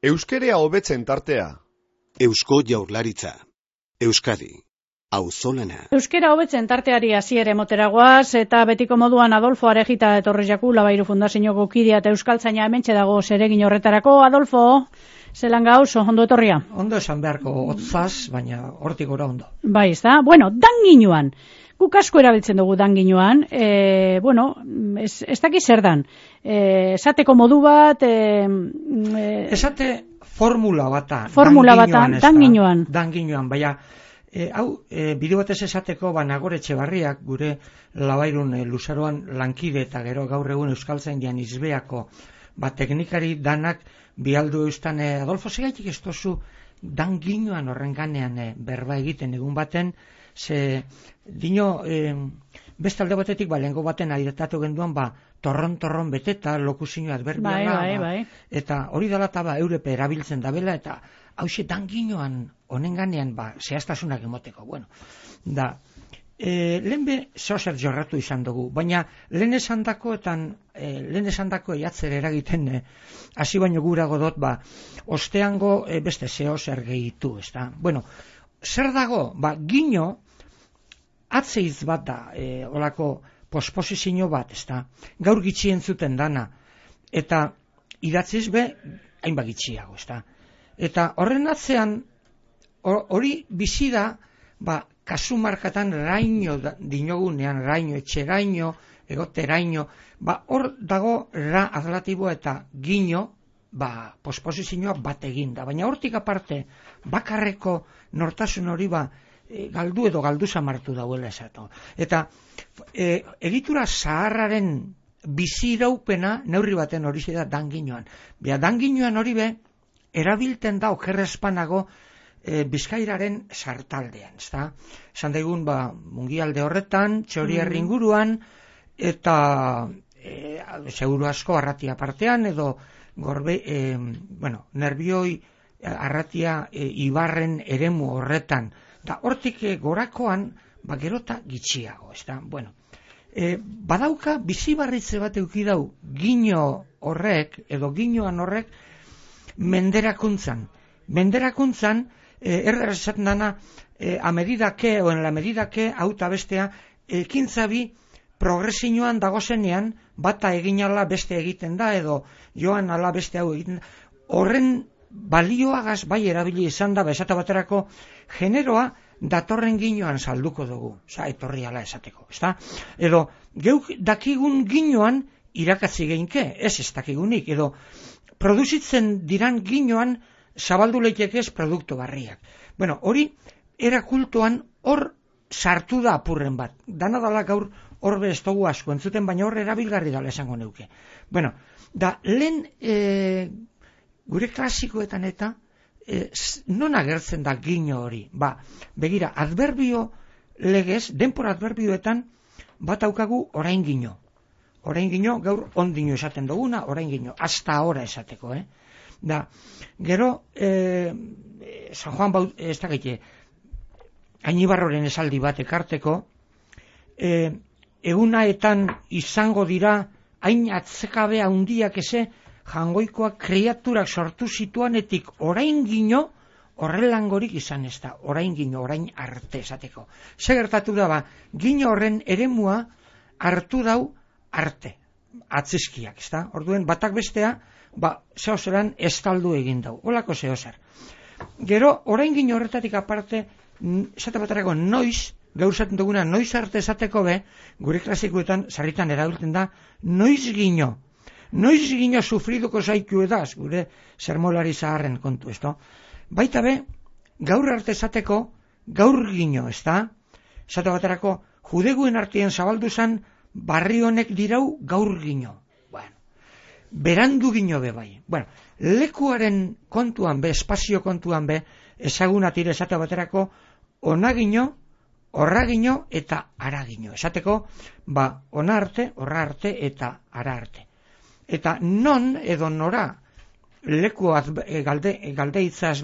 Euskerea hobetzen tartea. Eusko Jaurlaritza. Euskadi. Auzolana. Euskera hobetzen tarteari hasiera emoteragoaz eta betiko moduan Adolfo Arejita etorri jaku Labairu Fundazioko kidea eta euskaltzaina hementxe dago zeregin horretarako. Adolfo, zelan gauz, ondo etorria? Ondo esan beharko hotzaz, baina hortik gora ondo. Bai, ez da. Bueno, danginuan. Guk asko erabiltzen dugu danginuan. Ez daki zer dan. Esateko modu bat... Esate formula bata. Formula bata, danginuan. Danginuan, baina... bide batez esateko, Nagore Etxebarriak, gure Labairun luzaroan lankide eta gero gaur egun euskaltzaindian izbeako, teknikari danak bialdu eustan, Adolfo, segaitik ez tozu danginuan horren ganean berba egiten egun baten, ze dino, beste alde batetik, lehengo baten aditatu genduan, torron beteta, lokuzio adberbiala, bai. Eta hori dela eta eurepe erabiltzen dabela, eta hauxe danginuan honen ganean, zehaztasunak emoteko, bueno, da, lehen be zozer jorratu izan dugu, baina lehen esandako eiatzer eragiten, hasi baino gurago dot, osteango beste zeo zer gehitu, ez da, bueno, zer dago, gino, atzeiz bat da, olako posposizio bat, ez da, gaur gitxien zuten dana, eta idatziz be, hainbat gitxiago, ez da, eta horren atzean, hori bizi da, kasu markatan raino dinogunean, raino, etxeraino, egoteraino, hor dago ra adlatiboa eta gino, posposizioa bat eginda. Baina hortik aparte, bakarreko nortasun hori galdu edo galdu samartu dauela esatu. Eta egitura zaharraren bizi iraupena neurri baten hori da danginuan. Danginuan hori erabilten da okerrezpanago Bizkairaren sartaldean, ezta? Esan daigun, mungialde horretan, Txorierri inguruan, eta seguru asko Arratia partean, edo Nerbioi Arratia Ibarren eremu horretan, da hortik gorakoan, gerota gitxiago, ezta? Bueno, badauka bizibarritze bat eukidau gino horrek, edo ginoan horrek, menderakuntzan, erraz esaten dana, en la medida que, auta bestea, ekintzabi progresioan dagozenean, bata egin ala beste egiten da, edo joan ala beste hau egiten da, horren balioagaz bai erabili izan da, esate baterako, generoa datorren ginoan salduko dugu, etorri ala esateko, ezta? Edo, geuk dakigun ginoan irakatzi geinke, ez dakigunik, edo, produzitzen diran ginoan zabaldu leitekez produktu barriak. Bueno, hori erakultuan hor sartu da apurren bat. Dana dala gaur horbe ez dugu asko entzuten, baina hor erabilgarri dala esango neuke. Bueno, da lehen gure klasikoetan eta non agertzen da gino hori? Begira, adverbio legez, denpora adverbioetan bat aukagu orain gino. Orain gino, gaur ondino esaten duguna, orain gino, hasta ahora esateko, Da, gero, San Juan ez da gaite, Ainibarroren esaldi bat ekarteko, egunaetan izango dira, hain atzekabe handiak eze, jangoikoak kreaturak sortu zituanetik orain gino, horrelangorik izan ez da, orain gino, orain arte esateko. Ze gertatu da, gino horren eremua hartu dau arte, atzizkiak, ez da? Orduen, batak bestea, zehozeran estaldu egin dau, holako zehozer. Gero, orain gino horretatik aparte, esate baterako noiz, gaur zaten duguna, noiz arte esateko gure klasikoetan, sarritan erabiltzen da, noiz gino sufriduko zaitu edaz, gure sermolari zaharren kontu, ez da? Baita gaur arte esateko, gaur gino, ez da? Esate baterako, judeguen artien zabaldu zan, barri honek dirau gaur gino. Berandu gino bai. Bueno, lekuaren kontuan espazio kontuan ezaguna tire esate baterako, ona gino, horra gino eta ara gino. Esateko, ona arte, horra arte eta ara arte. Eta non edo nora leku galde itzaz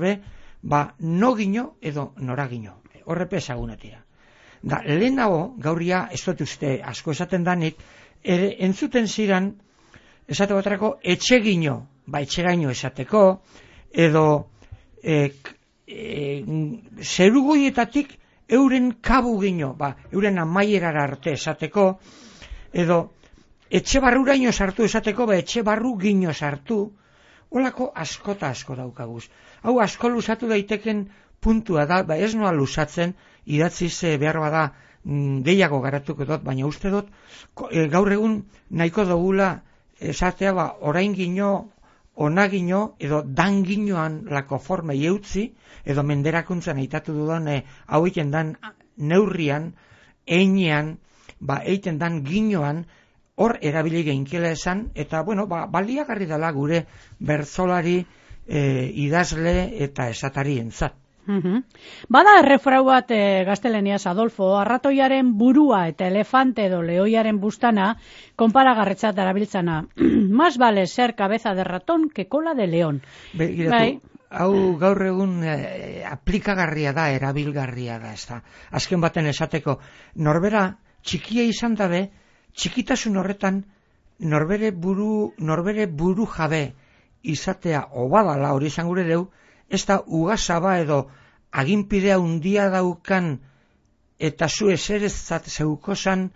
no gino edo nora gino. Horrepe ezaguna tira. Da, lehenago, gaurria, ez dut uste asko esaten danik, entzuten ziran, esate baterako, etxegino, etxegaino esateko, edo zerugoietatik euren kabu gino, euren amaierara arte esateko, edo etxe barruraino sartu esateko, etxe barru gino sartu, holako askota asko daukaguz. Hau asko lusatu daiteken puntua da, ez noa lusatzen, idatziz behar bada gehiago garatuko dut, baina uste dut, gaur egun nahiko dugula esatea orain gino, ona gino, edo dan ginoan lako forma eutzi, edo menderakuntzan aitatu dudan, hau egiten dan neurrian, einean, egiten dan ginoan, hor erabili geinkela esan, eta, baliagarri dela gure bertzolari, idazle eta esatari entzat. Bada errefrau bat gaztelaniaz, Adolfo, arratoiaren burua eta elefante edo lehoiaren bustana konparagarretzat darabiltzana. Más vale ser cabeza de ratón que cola de león. Hau gaur egun aplikagarria da, erabilgarria da, ez da. Azken baten esateko, norbera txikia izan dabe, txikitasun horretan norbere buru jabe izatea obadala hori izan gure deu, ez da ugasaba edo aginpidea undia daukan eta zu eserezat zeukozan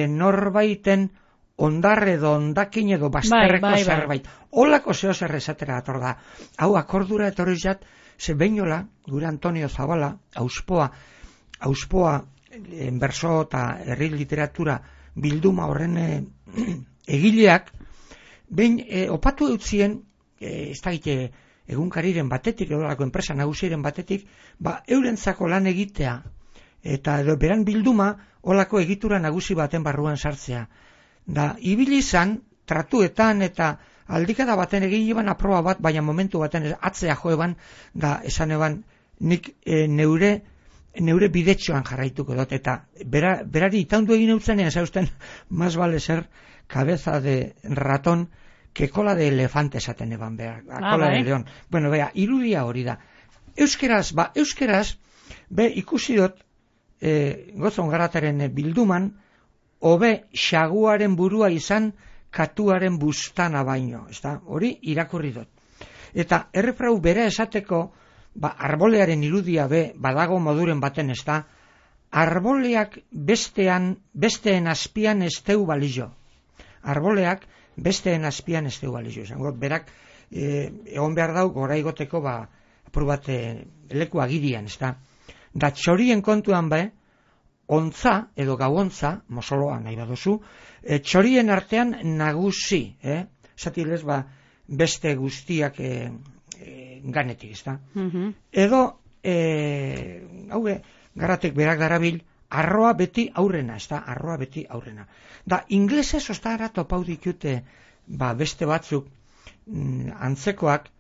norbaiten ondar edo ondakin edo bazterreko zerbait. Olako zeo zer esatera ator da. Hau akordura etorri zat, ze beinola, gure Antonio Zabala, auspoa berso eta herri literatura bilduma horren egileak, behin opatu eutzien, ez da gite, egunkariren batetik, edolako enpresa nagusiren batetik, eurentzako lan egitea, eta edo beran bilduma, olako egitura nagusi baten barruan sartzea. Da, ibili izan, tratuetan eta aldikada baten egin iban aproba bat, baina momentu baten atzea joeban, da, esan eban, nik neure bidetxoan jarraituko dut, eta berari itaundu egin eutzenean, zausten, más vale ser cabeza de ratón, que cola de elefante esaten eban behar, cola de león. Bueno, irudia hori da. Euskeraz, ikusi dut, gozon garataren bilduman, hobe xaguaren burua izan, katuaren bustana baino, ezta? Hori irakurri dut. Eta errefrau bera esateko, arbolearen irudia badago moduren baten, ezta? Arboleak besteen azpian ez teu balio. Arboleak besteen azpian ez teu balio. Berak, egon behar dau, gora igoteko, apur bat leku agirian, ezta? Da txorien kontuan ontza edo gauontza, mosoloa nahi baduzu, txorien artean nagusi, zatilez beste guztiak ganetik, ezta? Edo, garatek berak darabil, arroa beti aurrena, ezta? Arroa beti aurrena. Da, inglesez ostara topau ditute, beste batzuk, antzekoak,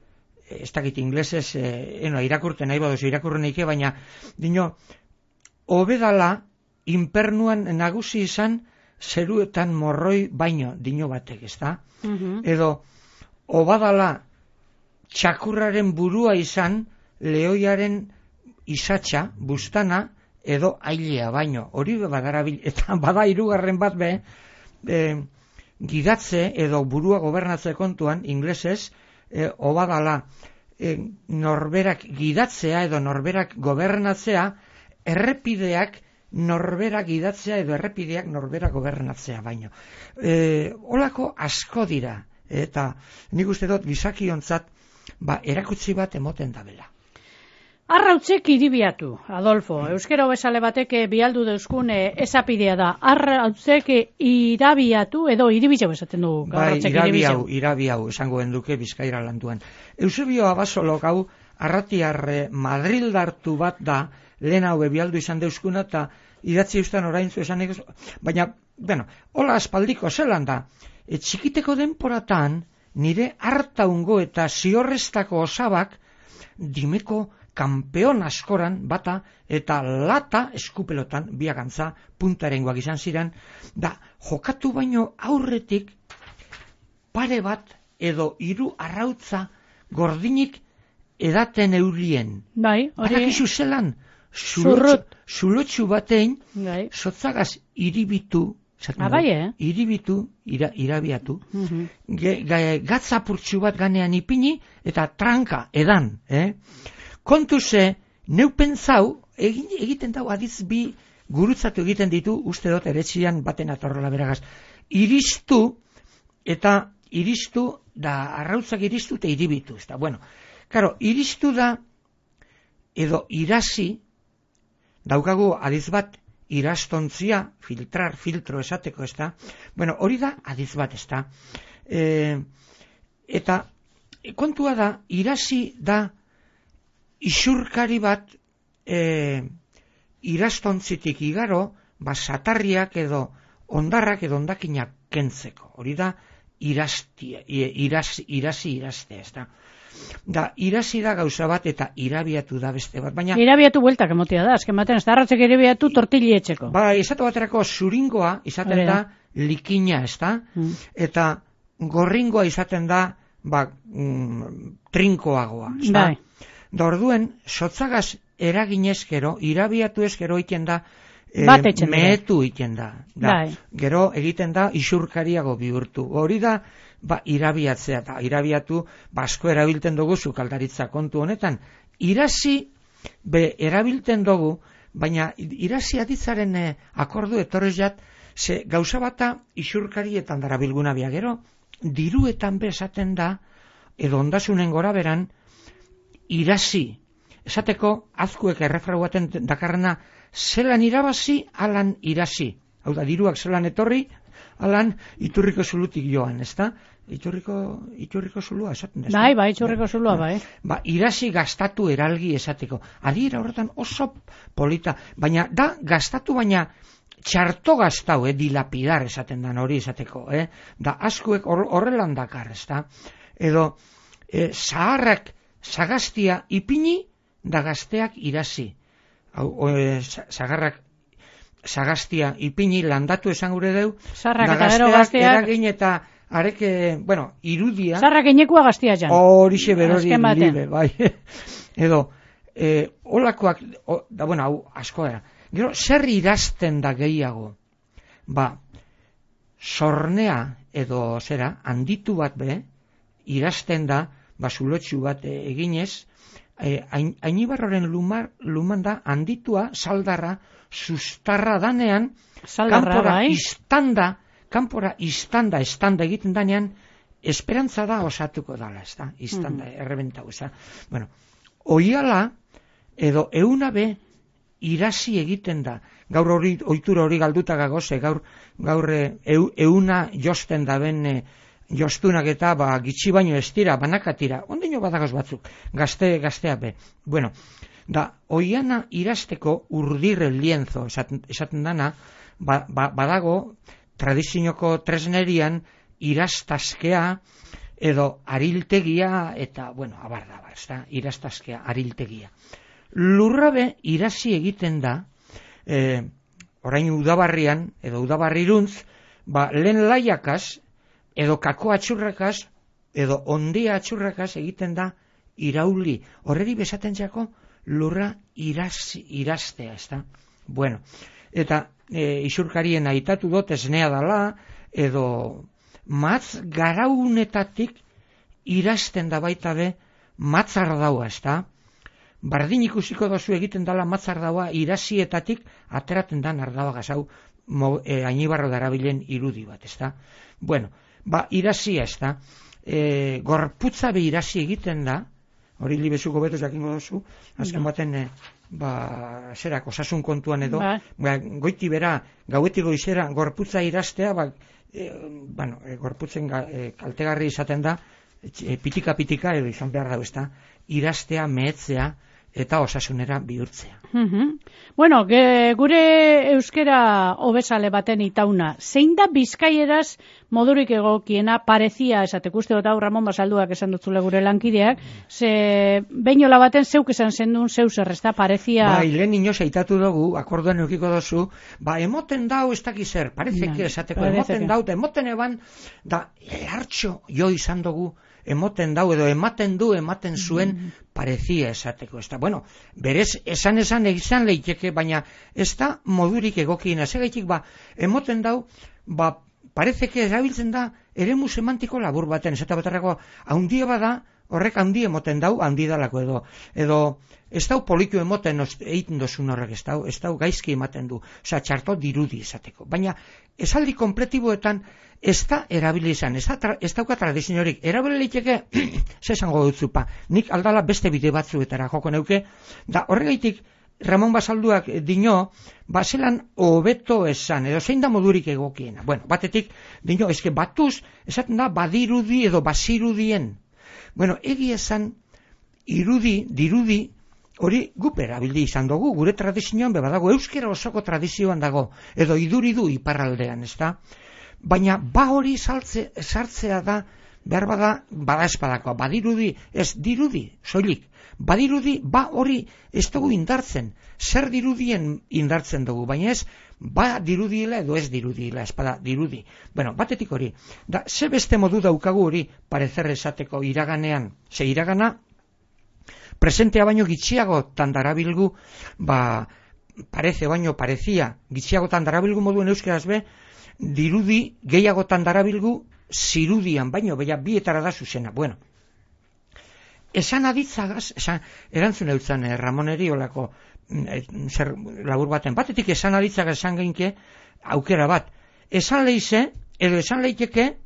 ez dakit inglesez, irakurten nahi baduzu, irakurren eike, baina, dino, hobedala, inpernuan nagusi izan, zeruetan morroi baino, dino batek, ezta? Edo, obadala, txakurraren burua izan, lehoiaren isatxa, bustana, edo ailea baino. Hori badarabil, eta bada hirugarren bat gidatze, edo burua gobernatze kontuan, inglesez, obadala, norberak gidatzea, edo norberak gobernatzea, errepideak norberak gidatzea, edo errepideak norberak gobernatzea baino. Olako asko dira, eta nik uste dut gizakiontzat, erakutsi bat emoten dabela. Arrautzek iribiatu, Adolfo. Euskera bezale batek bialdu deuzkun esapidea da. Arrautzek irabiatu edo iribizeu esaten dugu. Irabiau, esango enduke Bizkaira landuan. Eusebio Abasolok hau arratiar madrildartu bat da, lehen hau bialdu izan deuzkuna, eta idatzi eustan oraintzu esan egiz, baina, hola aspaldiko zelan da, txikiteko denporatan, nire hartaungo eta ziorreztako osabak, dimeko kampeon askoran bata eta lata eskupelotan biagantza puntarengoak izan ziren, da jokatu baino aurretik pare bat edo 3 arrautza gordinik edaten eurien. Badakizu zelan, zulotxu batein, sotzagaz iribitu Bai, iribitu, irabiatu, gatzapurtxu bat ganean ipini, eta tranka, edan, Kontu ze, neu pentsau, egiten dau adiz bi gurutzatu egiten ditu, uste dut eretxian baten atorrola beragaz. Iristu, da arrautzak iristu eta iribitu. Bueno, karo, iristu da, edo irasi, daukagu adiz bat, irastontzia, filtro esateko, Bueno, hori da adiz bat, Eta, kontua da, irasi da, isurkari bat, irastontzitik igaro, satarriak edo ondarrak edo ondakinak kentzeko. Hori da, irasi irastea, Da, irasi da gauza bat eta irabiatu da beste bat, baina... Irabiatu bueltak emotia da, azken baten, ez da harratzek irabiatu tortili etxeko. Izate baterako zuringoa izaten da likina, Eta gorringoa izaten da, trinkoagoa, Da orduen, sotzagaz eraginezkero, irabiatu ezkero iten da, mehetu iten da. Gero egiten da isurkariago bihurtu. Hori da, irabiatzea eta irabiatu, asko erabilten dugu sukaldaritza kontu honetan. Irasi, erabilten dugu, baina irasi aditzaren akordu etorrez jat, ze gauza bata isurkarietan dara bilguna bia. Gero, diruetan bezaten da, edo ondasunen gora beran, irasi. Esateko, azkuek errefrau baten dakarrena, zelan irabazi, alan irasi. Hau da, diruak zelan etorri, alan iturriko zulutik joan, Iturriko zulua esaten da. Bai, iturriko zulua, bai. Irasi gastatu eralgi esateko. Adiera horretan oso polita, baina da gastatu baina txarto gastau, dilapidar esaten dan hori esateko, Da askuek horrelan dakar, Edo, zaharrak sagaztia ipini, da gazteak irasi. Zagarrak sagaztia ipini landatu esan gure deu, da gazteak eragin eta areke, irudia... Zarrak inekua gaztia jan. Horixe berori libe, bai. Edo, olakoak, hau asko era. Gero, zer irazten da gehiago? Sornea edo handitu bat irazten da, zulotxu bat eginez, Ainibarroren luman da, handitua, saldarra, sustarra danean, kanpora istanda egiten danean, esperantza da osatuko dala, istanda, errebentau, Bueno, oiala, edo eunabe, irasi egiten da. Gaur hori, ohitura hori galduta gagoze, gaur euna josten da ben, jostunak eta gitxi baino ez dira, banakatira, ondino badagoz batzuk, gaztea be. Bueno, da, oiana irasteko urdirre lienzo, esaten dana, badago, tradizioko tresnerian, irastazkea, edo ariltegia, eta, abar, irastazkea, ariltegia. Lurrabe irasi egiten da, orain udabarrian, edo udabarriruntz, lehen laiakaz, edo kako atxurrakaz, edo ondia atxurrakaz egiten da irauli. Horreri besaten jako lurra iraztea, Bueno, eta isurkarien aitatu dut esnea dala, edo matz garaunetatik irazten da baita be matzar daua, Bardin ikusiko dozu egiten dala matzar daua irasietatik ateraten da nardaua gazau Ainibarro darabilen irudi bat, Bueno, irasia, gorputza be irasi egiten da, hori libezuko beto jakingo dozu, azken baten, osasun kontuan edo, goiti bera, gauetik goizera, gorputza irastea, gorputzen kaltegarri izaten da, pitika edo izan behar dago, irastea, mehetzea, eta osasunera bihurtzea. Bueno, gure euskera hobesale baten itauna, zein da bizkaieraz modurik egokiena parezia esateko, uste dut hau Ramon Basalduak esan dutzule gure lankideak, ze beinola baten zeuk esan zendun zeu zer, ez da parezia... Lehen inoz aitatu dugu, akorduan eukiko dozu, emoten dau ez dakiz zer, parezeke esateko, emoten dau, emoten eban, da, hartxo jo izan dugu, emoten dau, edo ematen zuen parezia esateko, ez da. Bueno, berez, esan izan leiteke, baina ez da modurik egokiena, segaitik emoten dau, parezeke erabiltzen da eremu semantiko labur baten, ez eta baterako, haundia bada, horrek handi emoten dau, handi dalako edo ez dau poliku emoten egiten dozun horrek, ez dau gaizki ematen du, oza, txarto dirudi esateko. Baina, esaldi kompletiboetan ez da erabili izan, ez dauka tradiziorik, erabili leiteke, zesango dutzupa, nik aldala beste bide batzuetara joko neuke, da horregaitik Ramon Basalduak dio, zelan hobeto esan, edo zein da modurik egokiena. Bueno, batetik dio, eske batuz, esaten da badirudi edo bazirudien. Bueno, egia esan, dirudi, hori gup erabildi izan dugu, gure tradizioan badago, euskera osoko tradizioan dago, edo iduridu iparraldean, ez da? Baina hori sartzea da, behar bada espadakoa, badirudi, ez dirudi, soilik, badirudi, hori ez dugu indartzen, zer dirudien indartzen dugu, baina ez, dirudiela edo ez dirudiela, espada dirudi. Bueno, batetik hori, ze beste modu daukagu hori parecer esateko iraganean, ze iragana, presentea baino gitxiagotan darabilgu, parece baino parezia, gitxiagotan darabilgu moduen euskeraz dirudi gehiagotan darabilgu zirudian baino, bietara da zuzena. Bueno, esan aditzagaz, erantzun eutzan Ramoneri olako zer labur baten, batetik esan aditzagaz esan geinke aukera bat, esan leize, edo esan leiteke,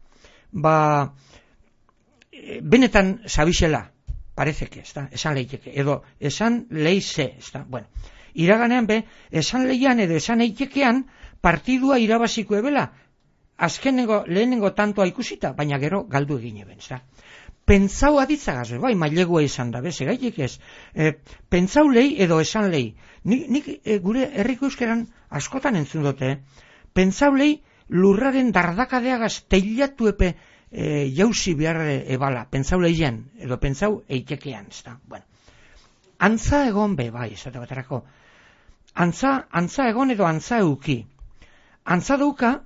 benetan sabixela, parezeke, esan leiteke, edo esan leize, bueno, iraganean esan leian edo esan eitekean partidua irabaziko ebela, lehenengo tantoa ikusita, baina gero galdu egin eben, pentsau aditzagaz, mailegua izan da, segaitik ez, pentsau lehi edo esan lehi, nik gure herriko euskeran askotan entzun dute, pentsau lehi lurraren dardakadeagaz teilatu epe jauzi behar ebala, pentsau lehian, edo pentsau eitekean, bueno, antza egon esate baterako, antza egon edo antza euki, antza dauka,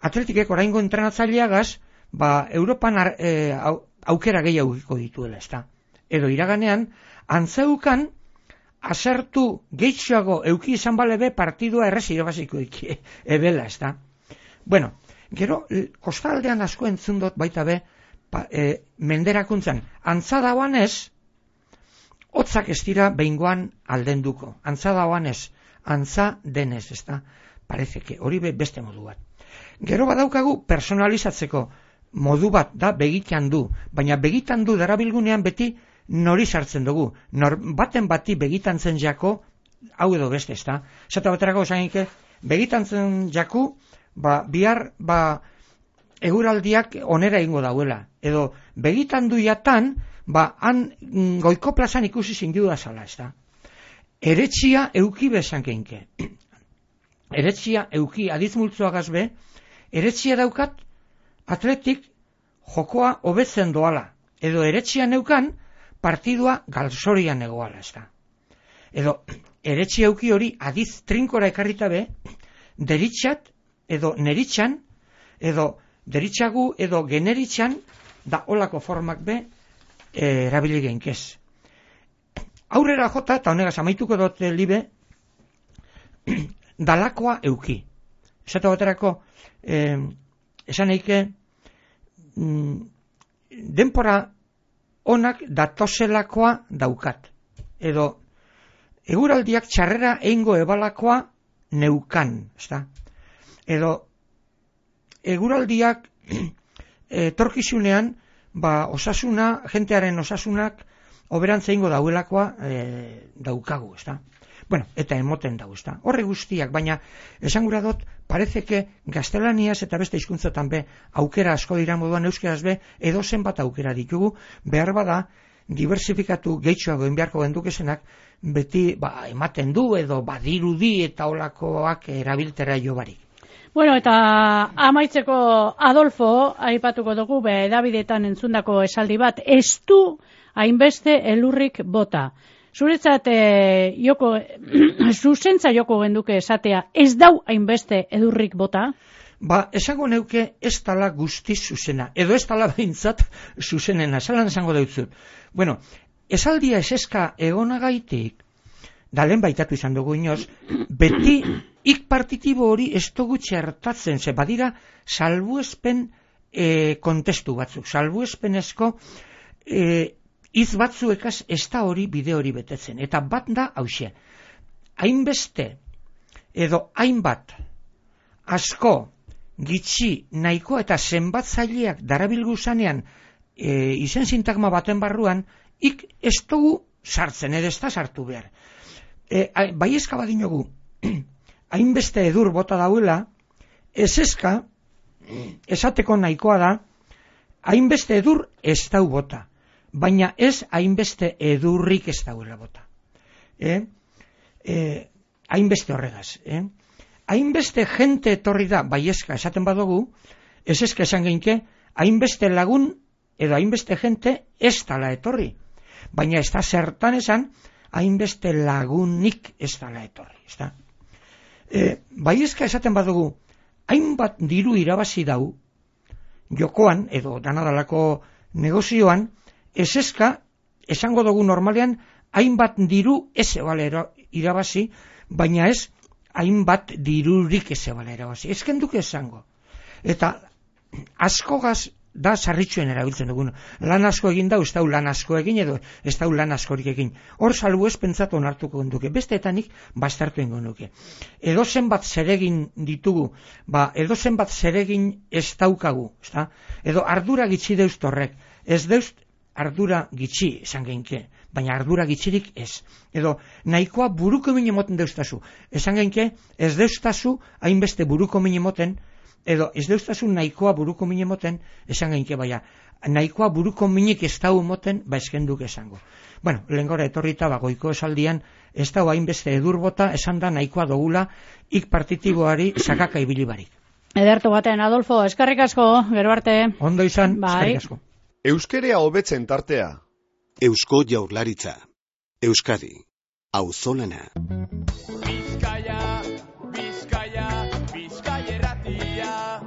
atletikek oraingo entrenatzaileagaz, Europan aukera gehiago dituela, edo iraganean, antzeukan asertu gehitxoago euki izan balebe partidua errez irabaziko ebela, Bueno, gero, kostaldean asko entzun dut baita menderakuntzan, antza dauan ez, hotzak ez dira behingoan aldenduko, antza dauan ez, antza denez, parezeke, hori beste modu bat. Gero badaukagu personalizatzeko modu bat da begitan du, baina begitan du darabilgunean beti nori sartzen dugu, baten bati begitan zen jako, hau edo beste, Zata baterako esanike, begitan zen jaku, bihar eguraldiak onera ingo dauela, edo begitan du jatan, han goiko plazan ikusi zindu da zala, Eretxia euki bezan keinke. Eretxia euki adizmultzoagaz eretxia daukat atletik jokoa hobetzen doala, edo eretxia neukan partidua galzorian egoala, Edo eretxia euki hori adiz trinkora ekarrita deritxat, edo neritxan, edo deritxagu, edo generitxan, da olako formak erabili geinkez. Aurrera jota, eta honegaz amaituko dut libe, dalakoa euki. Esate baterako, esan eike, denpora onak datozelakoa daukat. Edo, eguraldiak txarrera eingo ebalakoa neukan, Edo, eguraldiak etorkizunean, osasuna, jentearen osasunak, oberantza eingo dauelakoa daukagu, Bueno, eta emoten dago, Horre guztiak, baina esan gura dut, parezeke gaztelaniaz eta beste hizkuntzatan aukera asko dira moduan euskeraz edo zenbat aukera ditugu, behar bada, diversifikatu gehitxoago enbiarko gendukesenak, beti ematen du edo badirudi eta olakoak erabiltera jo barik. Bueno, eta amaitzeko Adolfo, aipatuko dugu, edabideetan entzundako esaldi bat, ez du hainbeste elurrik bota. Zuretzat zuzentza joko genduke esatea, ez dau hainbeste edurrik bota? esango neuke ez tala guztiz zuzena, edo ez tala behintzat zuzenena, zalan esango deutzut. Bueno, esaldia eseska egonagaitik, dalen baitatu izan dugu inoz, beti ik partitibo hori ez dugu txertatzen, ze badira salbuespen kontestu batzuk, salbuespenezko hitz batzuekaz ez da hori bide hori betetzen, eta bat da hauxe, hainbeste edo hainbat asko, gitxi, nahiko eta zenbatzaileak darabilgu zanean izen sintagma baten barruan, ik ez dugu sartzen, edo ez da sartu behar. Bai eska badinogu, hainbeste edur bota dauela, ez eska, esateko nahikoa da, hainbeste edur ez dau bota, baina ez hainbeste edurrik ez dauela bota. Hainbeste horregaz. Hainbeste jente etorri da, bai eska esaten badugu, ez eska esan geinke, hainbeste lagun edo hainbeste jente ez dala etorri. Baina ez da zertan esan, hainbeste lagunik ez dala etorri. Bai eska esaten badugu, hainbat diru irabazi dau, jokoan edo danadalako negozioan, ez eska esango dugu normalean, hainbat diru ez ebale irabazi, baina ez hainbat dirurik ez ebale irabazi. Ez kenduk esango. Eta askogaz da sarritxuen erabiltzen dugun. Lan asko egin da, ez dau lan asko egin, edo ez dau lan askorik egin. Hor salbu ez pentsatu onartuko duke. Besteetanik bastartu ingo nuke. Edo zenbat zeregin ditugu, edo zenbat zeregin ez daukagu, edo ardura gitxi deust horrek. Ez deust ardura gitxi esan geinke, baina ardura gitxirik ez. Edo nahikoa buruko min emoten deustazu. Esan geinke, ez deustazu hainbeste buruko min emoten, edo ez deustazu nahikoa buruko min emoten, esan geinke baina. Nahikoa buruko minik ez dau emoten, eskenduk esango. Bueno, lehengora etorrita goiko esaldian, ez dau hainbeste edurbota, esan da nahikoa dogula, ik partitiboari sakaka ibilibarik. Edertu baten, Adolfo, eskerrik asko, gero arte. Ondo izan, eskerrik asko. Euskerea hobetzen tartea. Eusko Jaurlaritza. Euskadi. Auzolana. Bizkaia, Bizkaia, Bizkaia erratia.